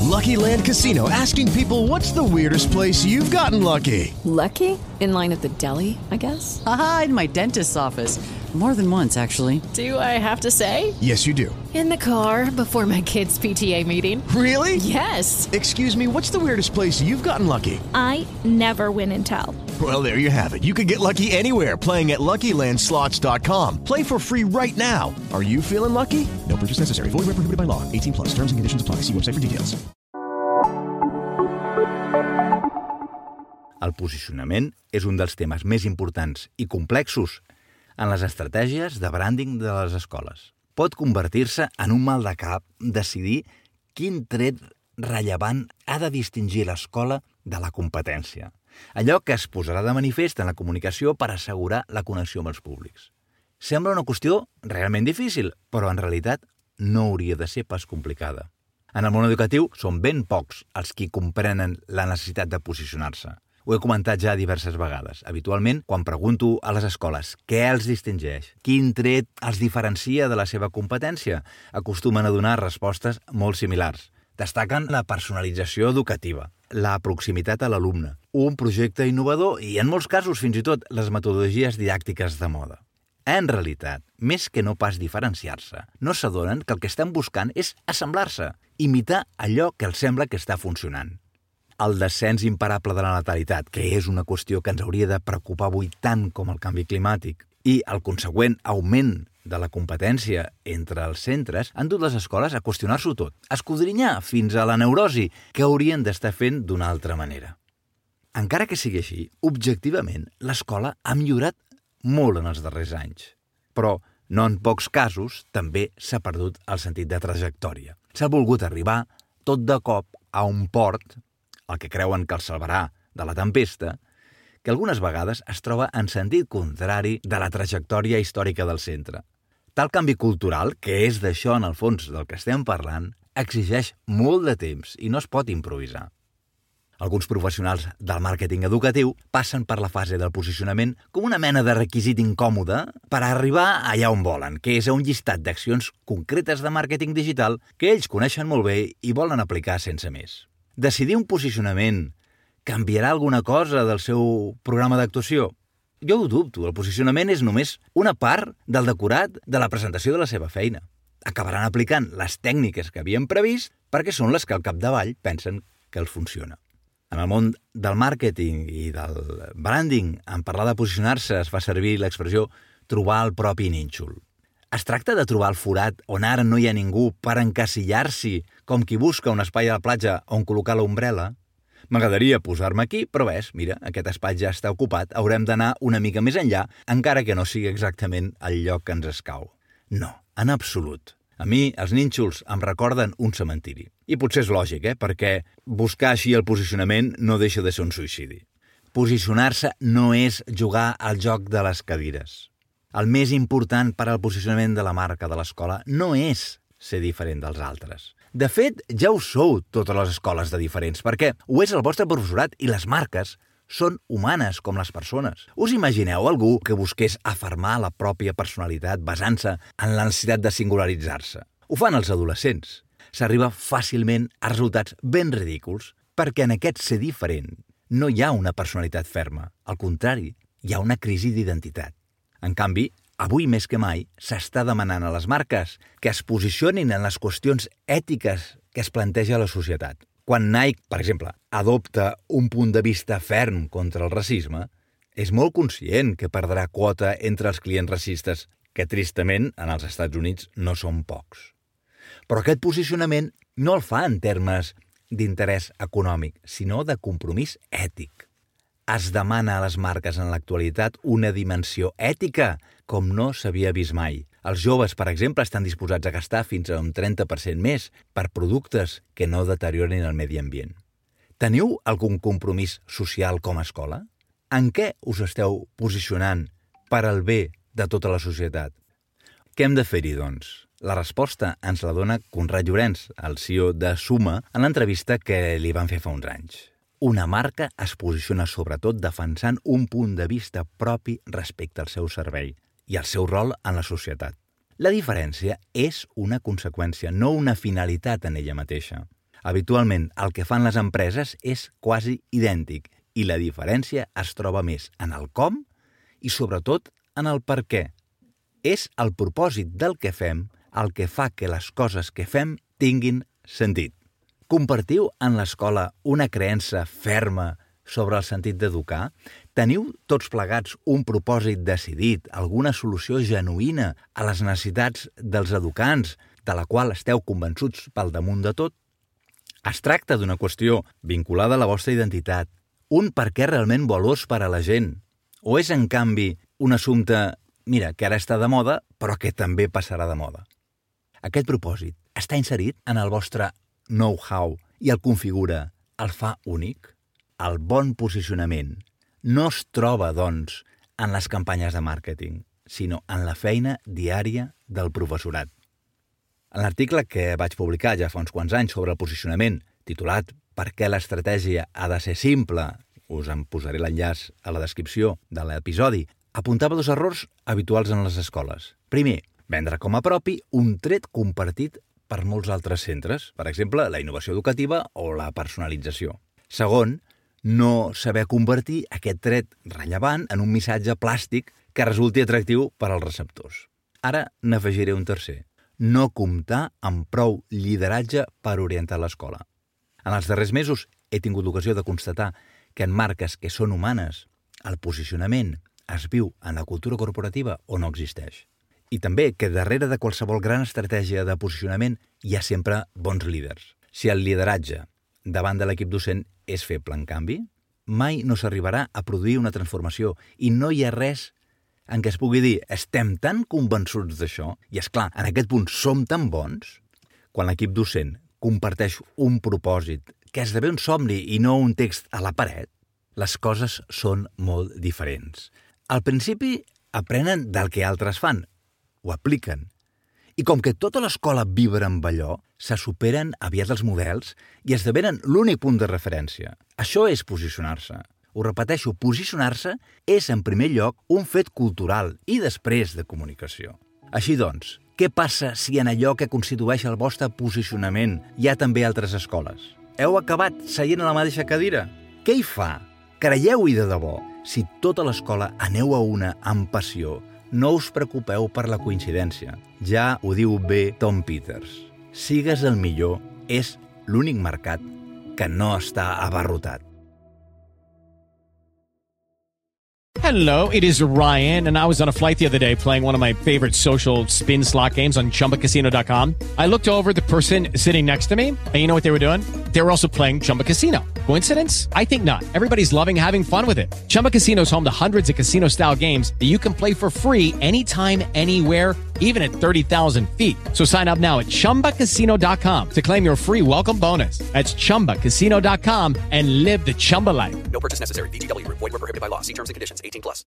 Lucky Land Casino, asking people, what's the weirdest place you've gotten lucky? Lucky? In line at the deli, I guess? Aha, in my dentist's office. More than once, actually. Do I have to say? Yes, you do. In the car before my kids' PTA meeting. Really? Yes. Excuse me, what's the weirdest place you've gotten lucky? I never win and tell. Well, there you have it. You can get lucky anywhere, playing at LuckyLandSlots.com. Play for free right now. Are you feeling lucky? No purchase necessary. Void where prohibited by law. 18+. Terms and conditions apply. See website for details. El posicionament és un dels temes més importants i complexos en les estratègies de branding de les escoles. Pot convertir-se en un mal de cap decidir quin tret rellevant ha de distingir l'escola de la competència. Allò que es posarà de manifest en la comunicació per assegurar la connexió amb els públics. Sembla una qüestió realment difícil, però en realitat no hauria de ser pas complicada. En el món educatiu són ben pocs els qui comprenen la necessitat de posicionar-se. Ho he comentat ja diverses vegades. Habitualment, quan pregunto a les escoles què els distingeix, quin tret els diferencia de la seva competència, acostumen a donar respostes molt similars. Destaquen la personalització educativa, la proximitat a l'alumne, un projecte innovador i, en molts casos, fins i tot, les metodologies didàctiques de moda. En realitat, més que no pas diferenciar-se, no s'adonen que el que estan buscant és assemblar-se, imitar allò que els sembla que està funcionant. El descens imparable de la natalitat, que és una qüestió que ens hauria de preocupar avui tant com el canvi climàtic, i el consegüent augment de la competència entre els centres han dut les escoles a qüestionar-s'ho tot, a escodrinyar fins a la neurosi que haurien d'estar fent d'una altra manera. Encara que sigui així, objectivament, l'escola ha millorat molt en els darrers anys. Però, no en pocs casos, també s'ha perdut el sentit de trajectòria. S'ha volgut arribar tot de cop a un port, el que creuen que els salvarà de la tempesta, que algunes vegades es troba en sentit contrari de la trajectòria històrica del centre. Tal canvi cultural, que és d'això en el fons del que estem parlant, exigeix molt de temps i no es pot improvisar. Alguns professionals del màrqueting educatiu passen per la fase del posicionament com una mena de requisit incòmode per arribar allà on volen, que és a un llistat d'accions concretes de màrqueting digital que ells coneixen molt bé i volen aplicar sense més. Decidir un posicionament canviarà alguna cosa del seu programa d'actuació? Jo ho dubto, el posicionament és només una part del decorat de la presentació de la seva feina. Acabaran aplicant les tècniques que havien previst perquè són les que al capdavall pensen que els funciona. En el món del màrqueting i del branding, en parlar de posicionar-se es fa servir l'expressió trobar el propi nínxol. Es tracta de trobar el forat on ara no hi ha ningú per encasillar-s'hi com qui busca un espai a la platja on col·locar l'ombrella? M'agradaria posar-me aquí, però ves, mira, aquest espai ja està ocupat, haurem d'anar una mica més enllà, encara que no sigui exactament el lloc que ens escau. No, en absolut. A mi, els nínxols em recorden un cementiri. I potser és lògic, perquè buscar així el posicionament no deixa de ser un suïcidi. Posicionar-se no és jugar al joc de les cadires. El més important per al posicionament de la marca de l'escola no és ser diferent dels altres. De fet, ja ho sou totes les escoles de diferents, perquè ho és el vostre professorat i les marques són humanes com les persones. Us imagineu algú que busqués afermar la pròpia personalitat basant-se en la necessitat de singularitzar-se? Ho fan els adolescents. S'arriba fàcilment a resultats ben ridículs perquè en aquest ser diferent no hi ha una personalitat ferma. Al contrari, hi ha una crisi d'identitat. En canvi, avui més que mai s'està demanant a les marques que es posicionin en les qüestions ètiques que es planteja a la societat. Quan Nike, per exemple, adopta un punt de vista ferm contra el racisme, és molt conscient que perdrà quota entre els clients racistes, que tristament en els Estats Units no són pocs. Però aquest posicionament no el fa en termes d'interès econòmic, sinó de compromís ètic. Es demana a les marques en l'actualitat una dimensió ètica com no s'havia vist mai. Els joves, per exemple, estan disposats a gastar fins a un 30% més per productes que no deteriorin el medi ambient. Teniu algun compromís social com a escola? En què us esteu posicionant per al bé de tota la societat? Què hem de fer-hi, doncs? La resposta ens la dona Conrad Llorenç, el CEO de Suma, en l'entrevista que li van fer fa uns anys. Una marca es posiciona sobretot defensant un punt de vista propi respecte al seu servei i al seu rol en la societat. La diferència és una conseqüència, no una finalitat en ella mateixa. Habitualment, el que fan les empreses és quasi idèntic i la diferència es troba més en el com i, sobretot, en el per què. És el propòsit del que fem el que fa que les coses que fem tinguin sentit. Compartiu en l'escola una creença ferma sobre el sentit d'educar? Teniu tots plegats un propòsit decidit, alguna solució genuïna a les necessitats dels educants, de la qual esteu convençuts pel damunt de tot? Es tracta d'una qüestió vinculada a la vostra identitat, un per què realment valós per a la gent? O és, en canvi, un assumpte, mira, que ara està de moda, però que també passarà de moda? Aquest propòsit està inserit en el vostre know-how i el configura, el fa únic? El bon posicionament no es troba, doncs, en les campanyes de màrqueting, sinó en la feina diària del professorat. En l'article que vaig publicar ja fa uns quants anys sobre el posicionament, titulat «Per què l'estratègia ha de ser simple?», us en posaré l'enllaç a la descripció de l'episodi, apuntava dos errors habituals en les escoles. Primer, vendre com a propi un tret compartit per molts altres centres, per exemple, la innovació educativa o la personalització. Segon, no saber convertir aquest tret rellevant en un missatge plàstic que resulti atractiu per als receptors. Ara n'afegiré un tercer. No comptar amb prou lideratge per orientar l'escola. En els darrers mesos he tingut l'ocasió de constatar que en marques que són humanes, el posicionament es viu en la cultura corporativa o no existeix. I també que darrere de qualsevol gran estratègia de posicionament hi ha sempre bons líders. Si el lideratge davant de l'equip docent és feble, en canvi, mai no s'arribarà a produir una transformació i no hi ha res en què es pugui dir estem tan convençuts d'això i, és clar, en aquest punt som tan bons. Quan l'equip docent comparteix un propòsit que esdevé un somni i no un text a la paret, les coses són molt diferents. Al principi aprenen del que altres fan, ho apliquen. I com que tota l'escola vibra amb allò, se superen aviat els models i esdevenen l'únic punt de referència. Això és posicionar-se. Ho repeteixo, posicionar-se és, en primer lloc, un fet cultural i després de comunicació. Així doncs, què passa si en allò que constitueix el vostre posicionament hi ha també altres escoles? Heu acabat seient a la mateixa cadira? Què hi fa? Creieu-hi de debò. Si tota l'escola aneu a una amb passió, no us preocupeu per la coincidència. Ja ho diu bé Tom Peters. Sigues el millor és l'únic mercat que no està abarrotat. Hello, it is Ryan, and I was on a flight the other day playing one of my favorite social spin slot games on ChumbaCasino.com. I looked over the person sitting next to me, and you know what they were doing? They were also playing Chumba Casino. Coincidence? I think not. Everybody's loving having fun with it. Chumba Casino is home to hundreds of casino-style games that you can play for free anytime, anywhere, even at 30,000 feet. So sign up now at ChumbaCasino.com to claim your free welcome bonus. That's ChumbaCasino.com and live the Chumba life. No purchase necessary. VGW. Void where prohibited by law. See terms and conditions. 18+.